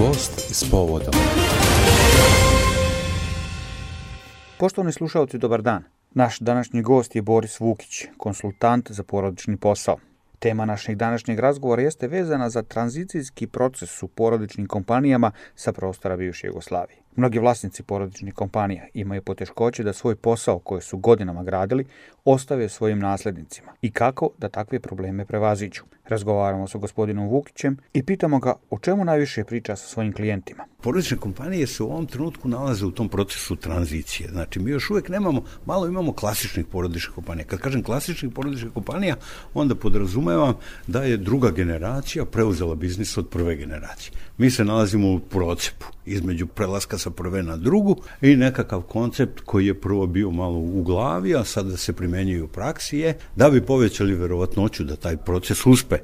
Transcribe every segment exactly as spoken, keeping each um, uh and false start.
Gost s povodom. Poštovani slušalci, dobar dan. Naš današnji gost je Boris Vukić, konsultant za porodični posao. Tema našeg današnjeg razgovora jeste vezana za tranzicijski proces u porodičnim kompanijama sa prostora bivše Jugoslavije. Mnogi vlasnici porodičnih kompanija imaju poteškoće da svoj posao koje su godinama gradili ostave svojim naslednicima i kako da takve probleme prevaziđu. Razgovaramo sa gospodinom Vukićem i pitamo ga o čemu najviše priča sa svojim klijentima. Porodične kompanije se u ovom trenutku nalaze u tom procesu tranzicije. Znači, mi još uvijek nemamo, malo imamo klasičnih porodičnih kompanija. Kad kažem klasičnih porodičnih kompanija, onda podrazumevam da je druga generacija preuzela biznis od prve generacije. Mi se nalazimo u procepu između prelaska sa prve na drugu i nekakav koncept koji je prvo bio malo u glavi, a sada se primenjuje u praksi je da bi povećali verovatnoću da taj proces uspe.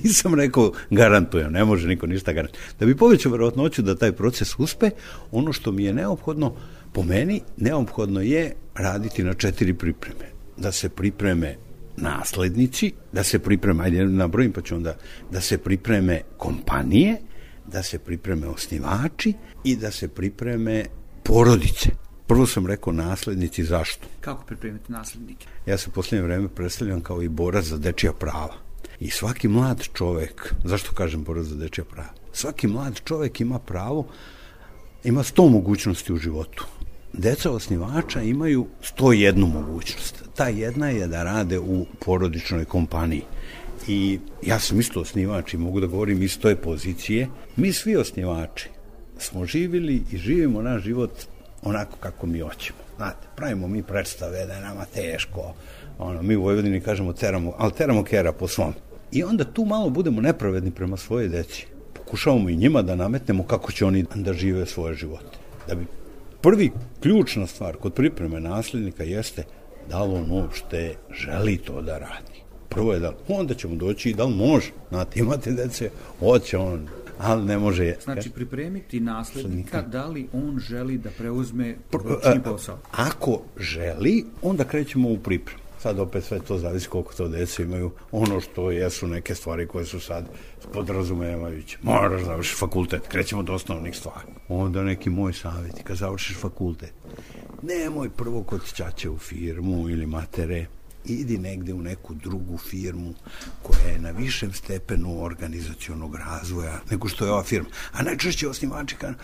Nisam rekao garantujem, ne može niko ništa garantujem. Da bi povećao verovatnoću da taj proces uspe, ono što mi je neophodno, po meni, neophodno je raditi na četiri pripreme. Da se pripreme naslednici, da se pripreme, ajde nabrojim pa ću onda, da se pripreme kompanije, da se pripreme osnivači i da se pripreme porodice. Prvo sam rekao naslednici, zašto? Kako pripremiti naslednike? Ja se u posljednje vreme predstavljam kao i borac za dečija prava. I svaki mlad čovek, zašto kažem borac za dečija prava? Svaki mlad čovek ima pravo, ima sto mogućnosti u životu. Deca osnivača imaju sto jednu mogućnost. Ta jedna je da rade u porodičnoj kompaniji. I ja sam isto osnivač i mogu da govorim iz toj pozicije. Mi svi osnivači smo živjeli i živimo naš život onako kako mi hoćemo. Znate, pravimo mi predstave da je nama teško. Ono, mi u Vojvodini kažemo teramo, ali teramo kera po svom. I onda tu malo budemo nepravedni prema svoje deci. Pokušavamo i njima da nametnemo kako će oni da žive svoje živote. Da bi prvi ključna stvar kod pripreme nasljednika jeste da li on uopšte želi to da radi. Prvo je da onda ćemo doći i da li može. Znate, imate dece, hoće on, ali ne može. Znači, pripremiti naslednika, da li on želi da preuzme porodični posao? Ako želi, onda krećemo u pripremu. Sad opet sve to zavisi koliko to dece imaju. Ono što jesu neke stvari koje su sad podrazumijemajuće. Moraš završiti fakultet, krećemo do osnovnih stvari. Onda neki moj savjet, kad završiš fakultet, nemoj prvo kod ćaće u firmu ili matere, idi negde u neku drugu firmu koja je na višem stepenu organizacionog razvoja nego što je ova firma. A najčešće osnivači kažu,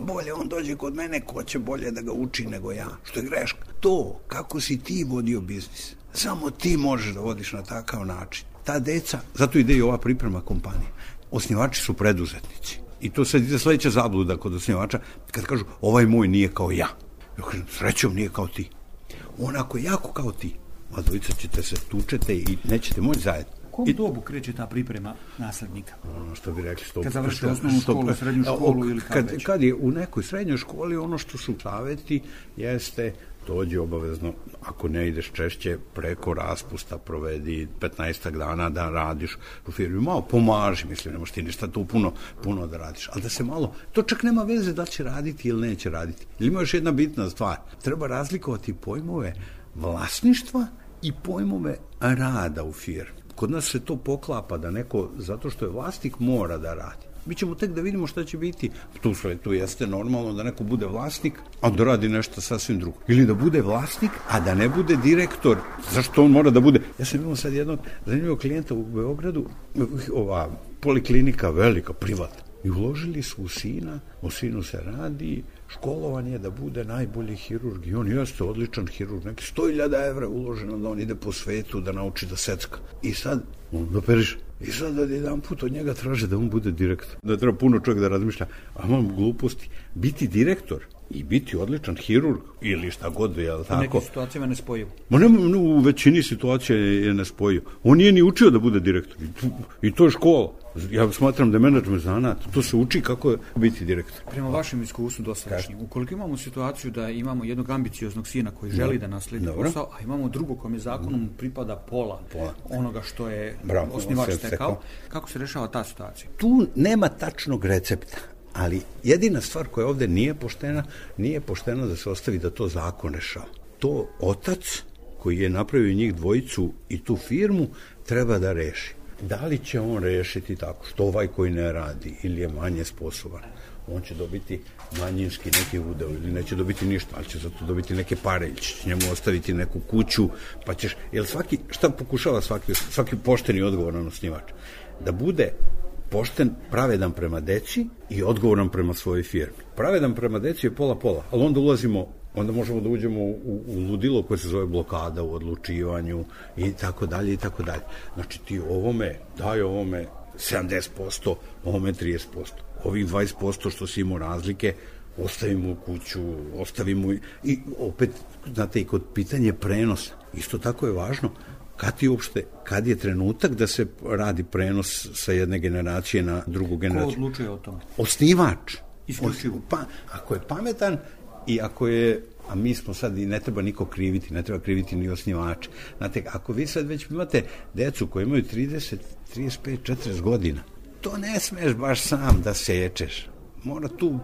bolje on dođe kod mene, ko će bolje da ga uči nego ja. Što je greška. To, kako si ti vodio biznis, samo ti možeš da vodiš na takav način. Ta deca, zato ide i ova priprema kompanije. Osnivači su preduzetnici. I to sad ide sledeća zabluda kod osnivača, kad kažu, ovaj moj nije kao ja. Ja kažem, srećom nije kao ti. On ako je jako kao ti, a dvojica ćete se tučete i nećete moći zajedno. U kom dobu kreće ta priprema naslednika? Ono što bi rekli... Stop, kad završite osnovnu školu, srednju školu ili kad, kad već? Kad je u nekoj srednjoj školi, ono što su saveti jeste dođi obavezno, ako ne ideš češće, preko raspusta provedi petnaestak dana da radiš u firmi. Malo pomaži, mislim, ne možeš ti ništa tu puno, puno da radiš. Ali da se malo, to čak nema veze da će raditi ili neće raditi. Ili ima još jedna bitna stvar. Treba razlikovati pojmove vlasništva i pojmove rada u firmi. Kod nas se to poklapa da neko, zato što je vlasnik, mora da radi. Mi ćemo tek da vidimo šta će biti. Tu svetu jeste normalno da neko bude vlasnik, a da radi nešto sasvim drugo. Ili da bude vlasnik, a da ne bude direktor. Zašto on mora da bude? Ja sam imao sad jednog zanimljivog klijenta u Beogradu, ova poliklinika velika, privatna. I uložili su u sina, o sinu se radi, školovan je da bude najbolji hirurg i on jeste odličan hirurg, neki sto hiljada evra uloženo da on ide po svetu da nauči da secka. I sad, on doperiš, i sad da jedan put od njega traže da on bude direktor. Da treba puno čovjek da razmišlja, a mam gluposti, biti direktor i biti odličan hirurg ili šta god, je li tako? U nekim situacijama ne spojivo. Ma ne, no, u većini situacija je ne spojivo. On nije ni učio da bude direktor. I, i to je škola. Ja smatram da je menadžment zanat. To se uči kako je biti direktor. Prema vašem iskustvu dosadašnjim, ukoliko imamo situaciju da imamo jednog ambicioznog sina koji želi da nasledi posao, a imamo drugog kome zakonom pripada pola, pola onoga što je Bravo, osnivač stekao, kako se rešava ta situacija? Tu nema tačnog recepta. Ali jedina stvar koja ovde nije poštena, nije pošteno da se ostavi da to zakon rešava. To otac koji je napravio njih dvojicu i tu firmu treba da reši. Da li će on rešiti tako što ovaj koji ne radi ili je manje sposoban, on će dobiti manjinski neki udeo ili neće dobiti ništa, ali će zato dobiti neke pare ili će njemu ostaviti neku kuću, pa ćeš, jer svaki, šta pokušava svaki, svaki pošteni odgovoran osnivač? Da bude pošten, pravedan prema deci i odgovoran prema svojoj firmi. Pravedan prema deci je pola-pola, ali onda ulazimo, onda možemo da uđemo u, u ludilo koje se zove blokada u odlučivanju i tako dalje i tako dalje. Znači ti ovome, daj ovome sedamdeset posto, ovome trideset posto. Ovih dvadeset posto što si imao razlike, ostavimo u kuću, ostavimo i opet, znate, i kod pitanje prenosa, isto tako je važno kad ti uopšte, kad je trenutak da se radi prenos sa jedne generacije na drugu generaciju. Ko odlučuje o tome? Osnivač. Isključivo. Pa, ako je pametan i ako je, a mi smo sad i ne treba niko kriviti, ne treba kriviti ni osnivače. Znate, ako vi sad već imate decu koji imaju trideset, trideset pet, četrdeset godina, to ne smeš baš sam da sečeš. Mora tu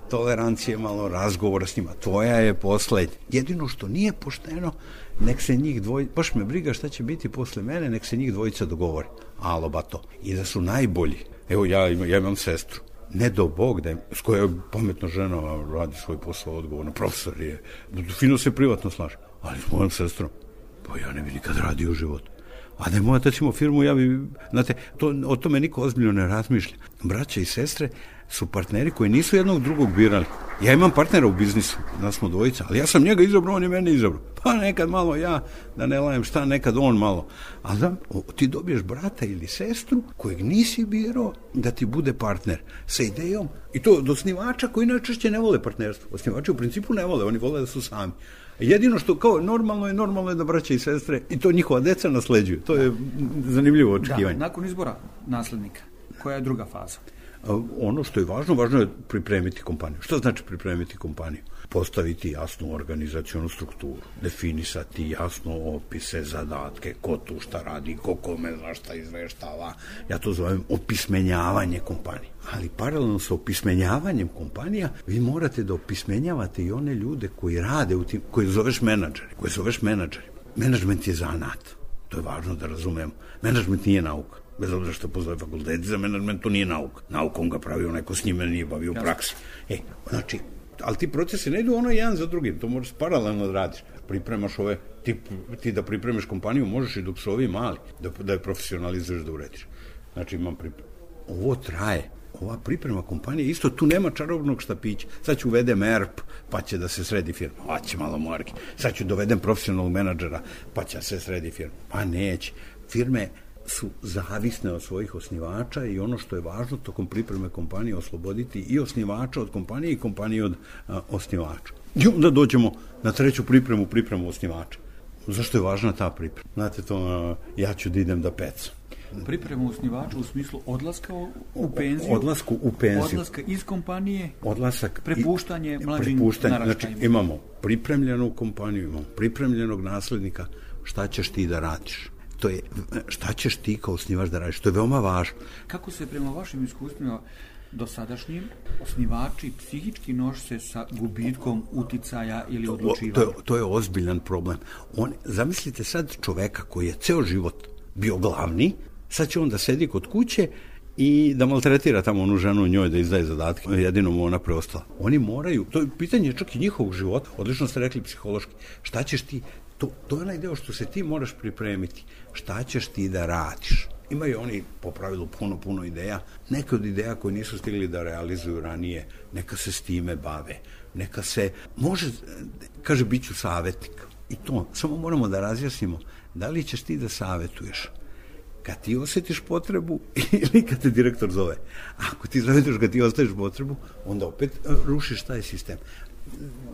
tolerancije, malo razgovora s njima. Tvoja je poslednja. Jedino što nije pošteno, nek se njih dvojica, baš me briga šta će biti posle mene, nek se njih dvojica dogovore. Alo, bato. I da su najbolji. Evo, ja, ja imam sestru. Ne do Bog da je, s koja je pametna žena, radi svoj posao odgovorno, profesor je, fino se privatno slaže. Ali s mojom sestrom, pa ja ne bi nikad radio u životu. A da je moja tacimo firmu, ja bi, znate, to, o tome niko ozbiljno ne razmišlja. Braća i sestre su partneri koji nisu jednog drugog birali. Ja imam partnera u biznisu, nas smo dvojica, ali ja sam njega izabrao, on je mene izabrao. Pa nekad malo ja, da ne lajem šta, nekad on malo. Ali da, ti dobiješ brata ili sestru kojeg nisi birao da ti bude partner sa idejom, i to od osnivača koji najčešće ne vole partnerstvo. Osnivači u principu ne vole, oni vole da su sami. Jedino što kao normalno je, normalno je da braća i sestre i to njihova deca nasleđuju. To je zanimljivo očekivanje. Da, nakon izbora naslednika, koja je druga faza? Ono što je važno, važno je pripremiti kompaniju. Što znači pripremiti kompaniju? Postaviti jasnu organizacionu strukturu, definisati jasno opise, zadatke, ko tu šta radi, ko kome za šta izveštava. Ja to zovem opismenjavanje kompanije. Ali paralelno sa opismenjavanjem kompanija, vi morate da opismenjavate i one ljude koji rade u tim, koji zoveš menadžeri, koji zoveš menadžeri. Menadžment je zanat. To je važno da razumemo. Menadžment nije nauka. Bez obzira što postoje fakulteti za menadžment, to nije nauka. Naukom ga pravio neko s njime, nije bavio u praksi. E, znači, ali ti procesi ne idu ono jedan za drugim, to moraš paralelno da radiš. Pripremaš ove, ti, ti da pripremiš kompaniju, možeš i dok su ovi mali, da, da je profesionalizuješ, da urediš. Znači, imam pripremu. Ovo traje. Ova priprema kompanije, isto tu nema čarobnog štapića. Sad ću uvedem E R P, pa će da se sredi firma. Pa će malo morgi. Sad ću dovedem profesionalnog menadžera, pa će se sredi firma. Pa neće. Firme su zavisne od svojih osnivača i ono što je važno tokom pripreme kompanije osloboditi i osnivača od kompanije i kompanije od a, osnivača. I onda dođemo na treću pripremu, pripremu osnivača. Zašto je važna ta priprema? Znate to, a, ja ću da idem da pecam. Pripremu osnivača u smislu odlaska u penziju, odlasku u penziju, odlaska iz kompanije, odlasak, prepuštanje mlađim naraštajima. Znači imamo pripremljenu kompaniju, imamo pripremljenog naslednika, šta ćeš ti da radiš? To je, šta ćeš ti kao osnivač da radiš? To je veoma važno. Kako se prema vašim iskustvima dosadašnjim osnivači psihički nose sa gubitkom uticaja ili odlučivanja? To, to, je, to je ozbiljan problem. On, zamislite sad čoveka koji je ceo život bio glavni, sad će on da sedi kod kuće i da maltretira tamo onu ženu njoj, da izdaje zadatke, jedino mu ona preostala. Oni moraju, to je pitanje čak i njihovog života, odlično ste rekli psihološki, šta ćeš ti, to, to je onaj deo što se ti moraš pripremiti, šta ćeš ti da radiš. Imaju oni po pravilu puno, puno ideja, neke od ideja koje nisu stigli da realizuju ranije, neka se s time bave, neka se, može, kaže, bit ću savjetnik. I to, samo moramo da razjasnimo, da li ćeš ti da savjetuješ kad ti osjetiš potrebu ili kad te direktor zove. Ako ti savjetuješ kad ti osjetiš potrebu, onda opet rušiš taj sistem.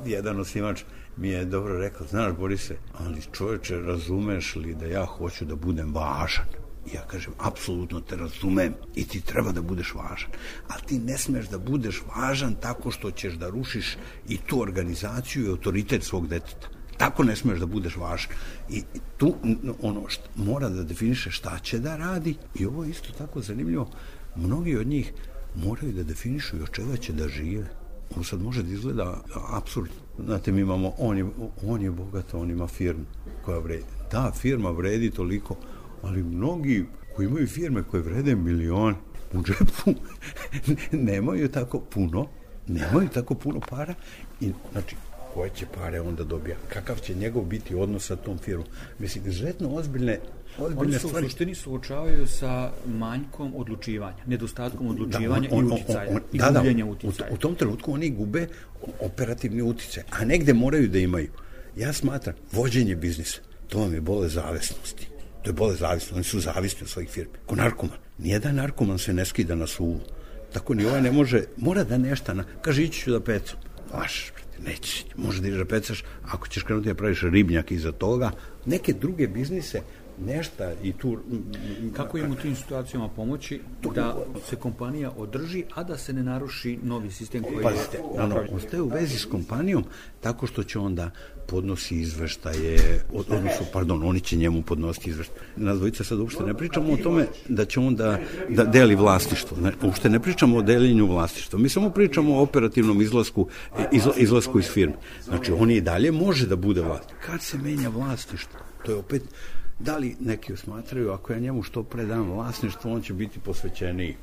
Jedan osnivač mi je dobro rekao, znaš Borise, ali čovječe, razumeš li da ja hoću da budem važan? I ja kažem, apsolutno te razumem i ti treba da budeš važan, ali ti ne smeš da budeš važan tako što ćeš da rušiš i tu organizaciju i autoritet svog deteta. Tako ne smeš da budeš važan. I tu ono što mora da definiše šta će da radi, i ovo je isto tako zanimljivo, mnogi od njih moraju da definišu i od čega će da žive. Ono sad može da izgleda apsurdno. Znate, mi imamo, on je, on je bogat, on ima firmu koja vredi. Da, firma vredi toliko, ali mnogi koji imaju firme koje vrede milion u džepu, nemaju tako puno, nemaju tako puno para i znači koje će pare onda dobija, kakav će njegov biti odnos sa tom firmom. Mislim, izuzetno ozbiljne, ozbiljne Oni su stvari. u suštini suočavaju sa manjkom odlučivanja, nedostatkom odlučivanja da, on, on, i uticaja, on, on, i da, gubljenja da, uticaja. U, u tom trenutku oni gube operativni uticaj, a negde moraju da imaju. Ja smatram, vođenje biznisa, to vam je bolest zavisnosti. To je bolest zavisnosti, oni su zavisni od svojih firmi. Ko narkoman. Nijedan narkoman se ne skida na suvu. Tako ni ovaj ne može, mora da nešto, na, kaže, ići ću da pecam. Vaš, neće, može da ideš da pecaš, ako ćeš krenuti da praviš ribnjak iza toga, neke druge biznise, nešta i tu... Kako im u tim situacijama pomoći da se kompanija održi, a da se ne naruši novi sistem koji Pazite, je ono, napravljen? ostaje u vezi s kompanijom tako što će onda podnosi izveštaje, od, odnosno, pardon, oni će njemu podnositi izveštaje. Nas dvojica sad uopšte ne pričamo o tome da će on da, da deli vlasništvo. Ne, uopšte ne pričamo o deljenju vlasništva. Mi samo pričamo o operativnom izlasku, izla, izlasku iz firme. Znači, on i dalje može da bude vlasnik. Kad se menja vlasništvo? To je opet, da li neki smatraju, ako ja njemu što pre dam vlasništvo, on će biti posvećeniji.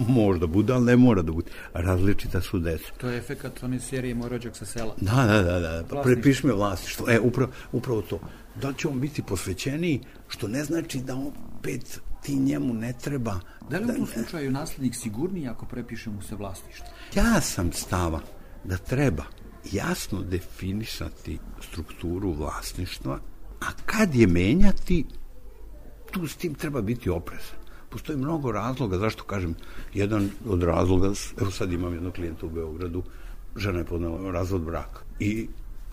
Možda bude, ali ne mora da bude. Različita su deca. To je efekat one serije Moj rođak sa sela. Da, da, da, da. Prepiši me vlasništvo. E, upravo, upravo to. Da li će on biti posvećeniji, što ne znači da opet ti njemu ne treba. Da li u tom slučaju naslednik sigurniji ako prepiše mu se vlasništvo? Ja sam stava da treba jasno definisati strukturu vlasništva, a kad je menjati, tu s tim treba biti oprezan. Postoji mnogo razloga, zašto kažem, jedan od razloga, evo sad imam jednog klijenta u Beogradu, žena je podnela razvod braka i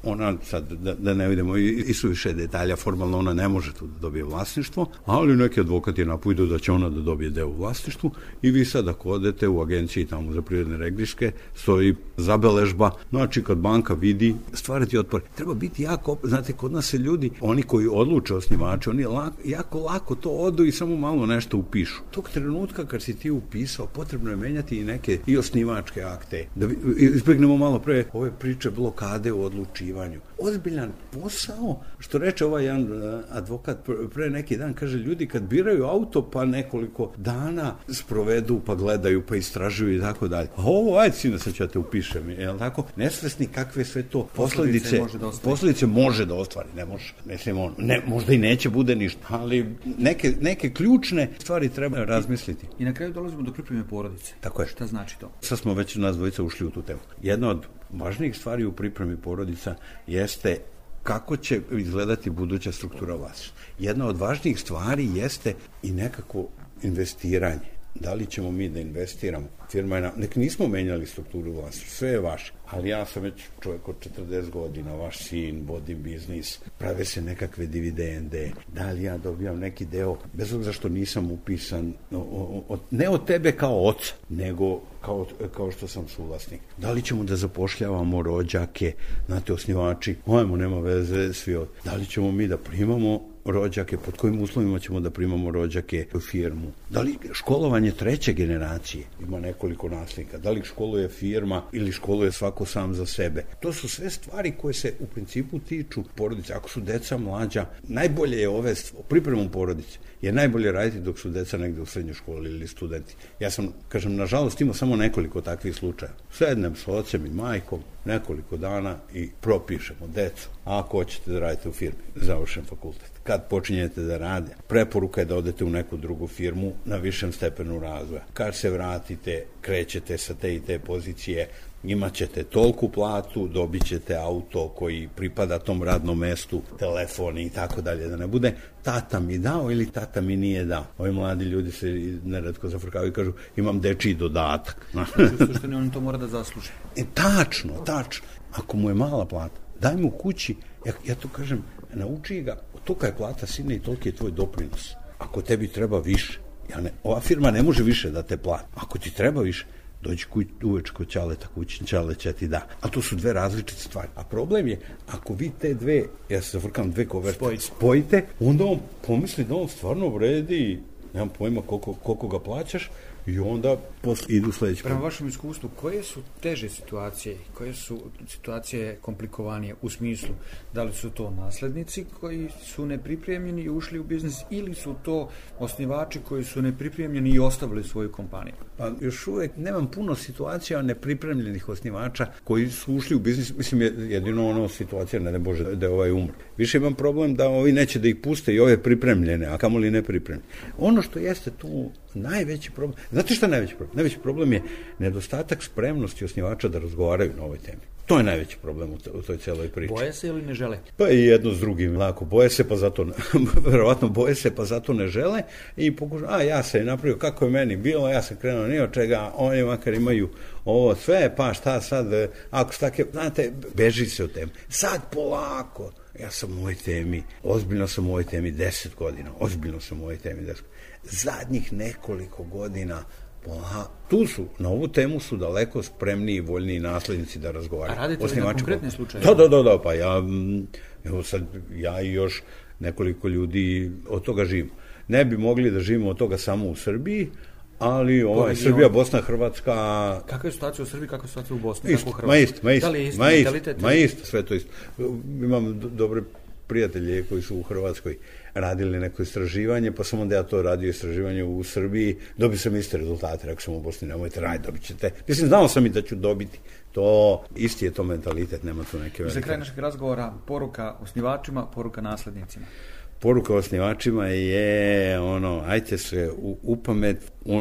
ona sad, da, da ne vidimo i, i su više detalja, formalno ona ne može tu da dobije vlasništvo, ali neki advokat je napujdu da će ona da dobije deo u vlasništvu i vi sad ako odete u agenciji tamo za privredne regriške, stoji zabeležba, znači kad banka vidi, stvarati otpor. Treba biti jako, znate, kod nas se ljudi, oni koji odluče osnivači, oni lako, jako lako to odu i samo malo nešto upišu. Tog trenutka kad si ti upisao, potrebno je menjati i neke i osnivačke akte. Da izbegnemo malo pre ove priče blokade u odlučivanju. Ozbiljan posao, što reče ovaj jedan advokat pre neki dan, kaže, ljudi kad biraju auto pa nekoliko dana sprovedu pa gledaju pa istražuju i tako dalje. A ovo, ajde sine, sad ću ja te upišem, je li tako? Nesvesni kakve sve to posledice, posledice može da ostvari, ne može, mislim on, ne, možda i neće bude ništa, ali neke, neke ključne stvari treba razmisliti. I na kraju dolazimo do pripreme porodice. Tako je. Šta znači to? Sad smo već nas dvojica ušli u tu temu. Jedna od važnijih stvari u pripremi porodica jeste kako će izgledati buduća struktura vlasništva. Jedna od važnijih stvari jeste i nekako investiranje. Da li ćemo mi da investiramo? Firma je na... Nek nismo menjali strukturu vlasništva, sve je vaše. Ali ja sam već čovjek od četrdeset godina, vaš sin, vodim biznis, prave se nekakve dividende, da li ja dobijam neki deo, bez obzira što nisam upisan, o, o, o, ne od tebe kao oca, nego kao, kao što sam suvlasnik. Da li ćemo da zapošljavamo rođake, znate, osnivači, ajmo, nema veze, svi od... Da li ćemo mi da primamo rođake, pod kojim uslovima ćemo da primamo rođake u firmu? Da li školovanje treće generacije, ima nekoliko nasljednika, da li školuje firma ili školuje svako sam za sebe? To su sve stvari koje se u principu tiču porodice. Ako su deca mlađa, najbolje je ove pripremu porodice, je najbolje raditi dok su deca negde u srednjoj školi ili studenti. Ja sam, kažem, nažalost imao samo nekoliko takvih slučaja. Sednem s ocem i majkom nekoliko dana i propišemo decu. A ako hoćete da radite u firmi, završen fakultet. Kad počinjete da rade, preporuka je da odete u neku drugu firmu na višem stepenu razvoja. Kad se vratite, krećete sa te i te pozicije, imat ćete tolku platu, dobit ćete auto koji pripada tom radnom mestu, telefon i tako dalje, da ne bude tata mi dao ili tata mi nije dao. Ovi mladi ljudi se neretko zafrkavaju i kažu imam dečiji dodatak. U suštini on to mora da zasluži. E, tačno, tačno. Ako mu je mala plata, daj mu kući, ja, ja to kažem, nauči ga, tolika je plata sine i toliki je tvoj doprinos. Ako tebi treba više, ja ne, ova firma ne može više da te plati. Ako ti treba više, dođi kuć, uveč kod Ćaleta, kućin Ćale će ti da. A to su dve različite stvari. A problem je, ako vi te dve, ja se zafrkam, dve koverte, spojite. spojite, onda on pomisli da on stvarno vredi, nemam pojma koliko, koliko ga plaćaš, i onda posle idu sledeći. Prema vašem iskustvu, koje su teže situacije, koje su situacije komplikovanije u smislu da li su to naslednici koji su nepripremljeni i ušli u biznis ili su to osnivači koji su nepripremljeni i ostavili svoju kompaniju? Pa još uvek nemam puno situacija nepripremljenih osnivača koji su ušli u biznis, mislim jedino ono situacija, ne da Bože, da je ovaj umro. Više imam problem da ovi neće da ih puste i ove pripremljene, a kamoli nepripremljene. Ono što jeste tu najveći problem, znate šta je najveći problem? Najveći problem je nedostatak spremnosti osnivača da razgovaraju na ovoj temi. To je najveći problem u toj celoj priči. Boje se ili ne žele? Pa i jedno s drugim, lako, boje se pa zato, verovatno boje se pa zato ne žele i pokušaju, a ja sam napravio kako je meni bilo, ja sam krenuo ni od čega, oni makar imaju ovo sve, pa šta sad, ako stake, znate, beži se od teme. Sad polako, ja sam u ovoj temi, ozbiljno sam u ovoj temi deset godina, ozbiljno sam u ovoj temi deset godina. Zadnjih nekoliko godina Aha, tu su, na ovu temu su daleko spremniji i voljniji naslednici da razgovaraju. A radite li na konkretne slučaje? Da, da, da, da, pa ja, evo sad, ja i još nekoliko ljudi od toga živimo. Ne bi mogli da živimo od toga samo u Srbiji, ali ovaj, Srbija, Bosna, Hrvatska... Kakva je situacija u Srbiji, kakva je situacija u Bosni? Isto, ma isto, ma isto. Da li je isto ma mentalitet? Ma isto, sve to isto. Imam dobre prijatelje koji su u Hrvatskoj radili neko istraživanje, pa sam onda ja to radio istraživanje u Srbiji, dobio sam iste rezultate, rekao sam u Bosni, nemojte raditi, dobit ćete. Mislim, znao sam i da ću dobiti. To, isti je to mentalitet, nema tu neke velike. Za kraj našeg razgovora, poruka osnivačima, poruka naslednicima. Poruka osnivačima je ono, ajte se u, u pamet,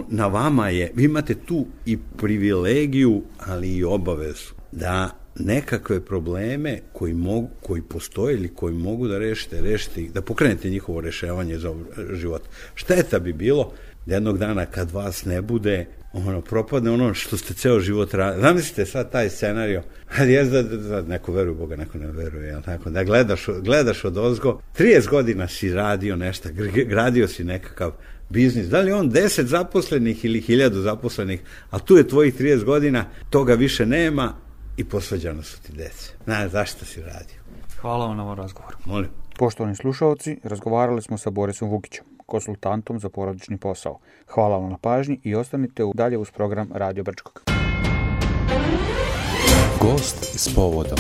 na vama je, vi imate tu i privilegiju, ali i obavezu da nekakve probleme koji mogu, koji postoje ili koji mogu da rešite, rešite ih, da pokrenete njihovo rešavanje za život. Šteta bi bilo da jednog dana kad vas ne bude, ono, propadne ono što ste ceo život radili. Zamislite sad taj scenario, je da, da neko veruje u Boga, neko ne veruje, jel tako? Da gledaš, gledaš od ozgo, trideset godina si radio nešto, gradio si nekakav biznis, da li on deset zaposlenih ili hiljadu zaposlenih, a tu je tvojih trideset godina, toga više nema i posvađano su ti dece. Znaš, zašto si radio? Hvala vam na ovom razgovoru. Molim. Poštovani slušalci, razgovarali smo sa Borisom Vukićem, konsultantom za porodični posao. Hvala vam na pažnji i ostanite dalje uz program Radio Brčkog. Gost s povodom.